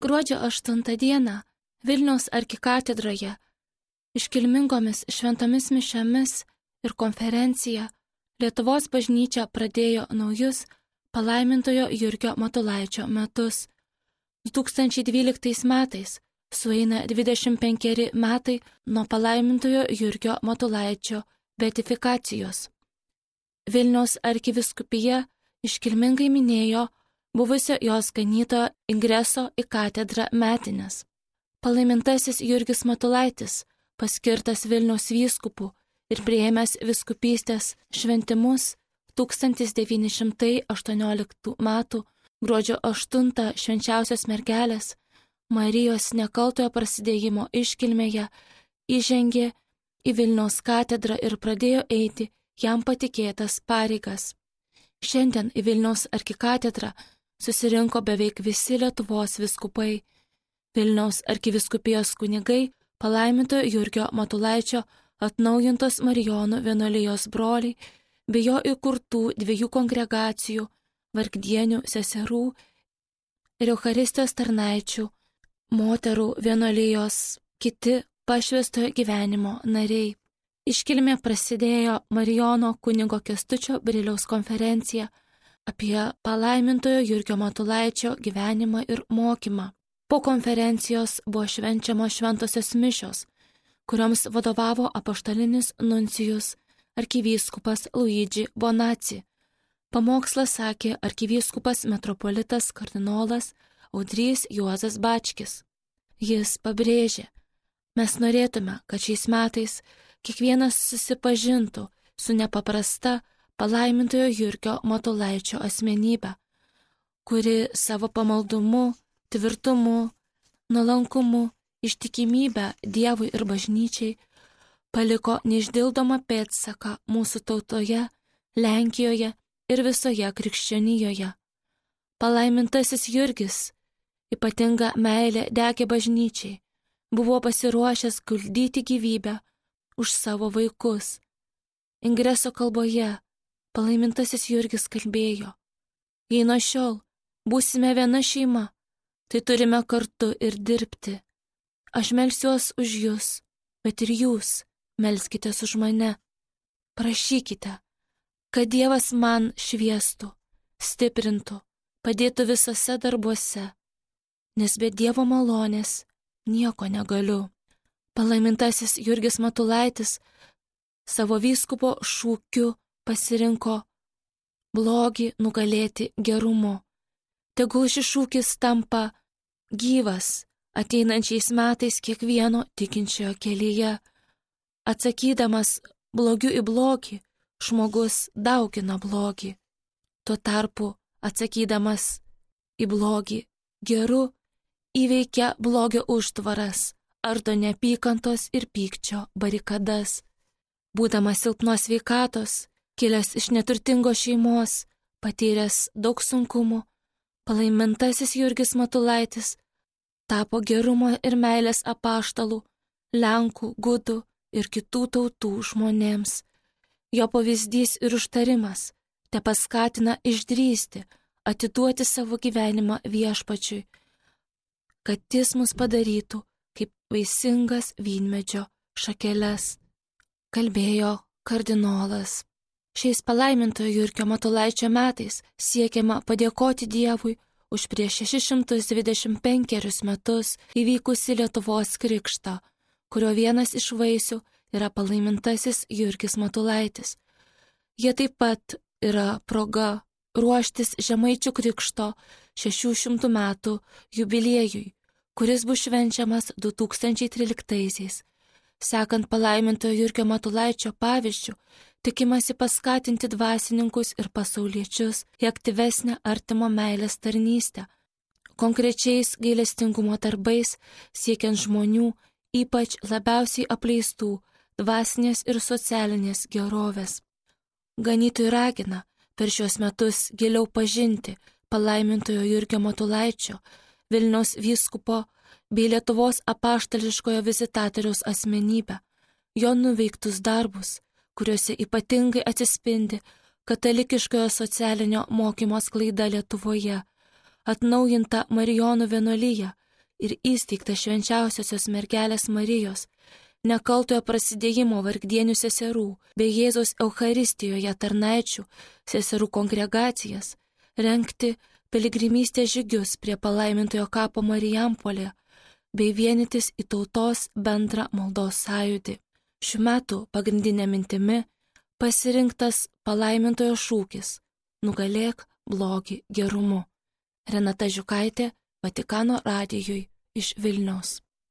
Gruodžio 8 dieną Vilniaus arkikatedroje iškilmingomis šventomis mišiomis ir konferencija Lietuvos bažnyčia pradėjo naujus palaimintojo Jurgio Matulaičio metus. 2012 metais sueina 25 metai nuo palaimintojo Jurgio Matulaičio beatifikacijos. Vilniaus arkivyskupija iškilmingai minėjo buvusio jos ganytojo ingreso į katedrą metines. Palaimintasis Jurgis Matulaitis, paskirtas Vilniaus vyskupu ir priėmęs vyskupystės šventimus 1918 m. gruodžio 8 švenčiausios mergelės Marijos nekaltojo prasidėjimo iškilmėje įžengė į Vilniaus katedrą ir pradėjo eiti jam patikėtas pareigas. Šiandien į Vilniaus arkikatedrą susirinko beveik visi Lietuvos vyskupai, Vilniaus arkivyskupijos kunigai, palaimintojo Jurgio Matulaičio atnaujintos Marijonų vienuolijos broliai bei jo įkurtų 2 kongregacijų, vargdienių seserų ir Eucharistijos tarnaičių, moterų vienuolijos, kiti pašvęstojo gyvenimo nariai. Iškilmė prasidėjo Marijono kunigo Kęstučio Briliaus konferencija apie palaimintojo Jurgio Matulaičio gyvenimą ir mokymą. Po konferencijos buvo švenčiamos šventosios mišios, kurioms vadovavo apaštalinis nuncijus arkivyskupas Luigi Bonaci. Pamokslą sakė arkivyskupas metropolitas kardinolas Audrys Juozas Bačkis. Jis pabrėžė: mes norėtume, kad šiais metais kiekvienas susipažintų su nepaprasta palaimintojo Jurgio Matulaičio asmenybė, kuri savo pamaldumu, tvirtumu, nuolankumu, ištikimybę Dievui ir bažnyčiai paliko neišdildomą pėdsaką mūsų tautoje, Lenkijoje ir visoje krikščionijoje. Palaimintasis Jurgis ypatinga meilė degė bažnyčiai, buvo pasiruošęs guldyti gyvybę už savo vaikus. Ingreso kalboje palaimintasis Jurgis kalbėjo: jei nuo šiol būsime viena šeima, tai turime kartu ir dirbti. Aš melsiuos už jūs, bet ir jūs melskitės už mane. Prašykite, kad Dievas man šviestų, stiprintų, padėtų visose darbuose, nes be Dievo malonės nieko negaliu. Palaimintasis Jurgis Matulaitis savo vyskupo šūkiu pasirinko blogį nugalėti gerumu. Tegul šis šūkis tampa gyvas ateinančiais metais kiekvieno tikinčiojo kelyje. Atsakydamas blogiu į blogį, žmogus daugina blogį. Tuo tarpu atsakydamas į blogį geru, įveikia blogio užtvaras, ardo neapykantos ir pykčio barikadas. Būdamas silpnos sveikatos, kilęs iš neturtingos šeimos, patyręs daug sunkumų, palaimintasis Jurgis Matulaitis tapo gerumo ir meilės apaštalų Lenkų, gudų ir kitų tautų žmonėms. Jo pavyzdys ir užtarimas tepaskatina išdrįsti, atiduoti savo gyvenimą Viešpačiui, kad jis mus padarytų kaip vaisingas vynmedžio šakeles, kalbėjo kardinolas. Šiais palaimintojo Jurgio Matulaičio metais siekiama padėkoti Dievui už prieš 625 metus įvykusi Lietuvos krikštą, kurio vienas iš vaisių yra palaimintasis Jurgis Matulaitis. Jie taip pat yra proga ruoštis Žemaičių krikšto 600 metų jubiliejui, kuris bus švenčiamas 2013-aisiais. Sekant palaimintojo Jurgio Matulaičio pavyzdžių, tikimasi paskatinti dvasininkus ir pasauliečius į aktyvesnę artimo meilės tarnystę, konkrečiais gailestingumo darbais siekiant žmonių, ypač labiausiai apleistų dvasinės ir socialinės gerovės. Ganytojai ragina per šios metus giliau pažinti palaimintojo Jurgio Matulaičio, Vilniaus vyskupo bei Lietuvos apaštališkojo vizitatoriaus asmenybę, jo nuveiktus darbus, kuriuose ypatingai atsispindi katalikiškojo socialinio mokymo sklaida Lietuvoje, atnaujinta Marijonų vienuolija ir įsteigtas švenčiausiosios mergelės Marijos, nekaltojo prasidėjimo vargdienių seserų bei Jėzaus Eucharistijoje tarnaičių seserų kongregacijas, rengti piligrimystės žygius prie palaimintojo kapo Marijampolėje bei vienytis į tautos bendrą maldos sąjūdį. Šių metų pagrindinė mintimi pasirinktas palaimintojo šūkis "Nugalėk blogį gerumu". Renata Žiukaitė, Vatikano radijui iš Vilniaus.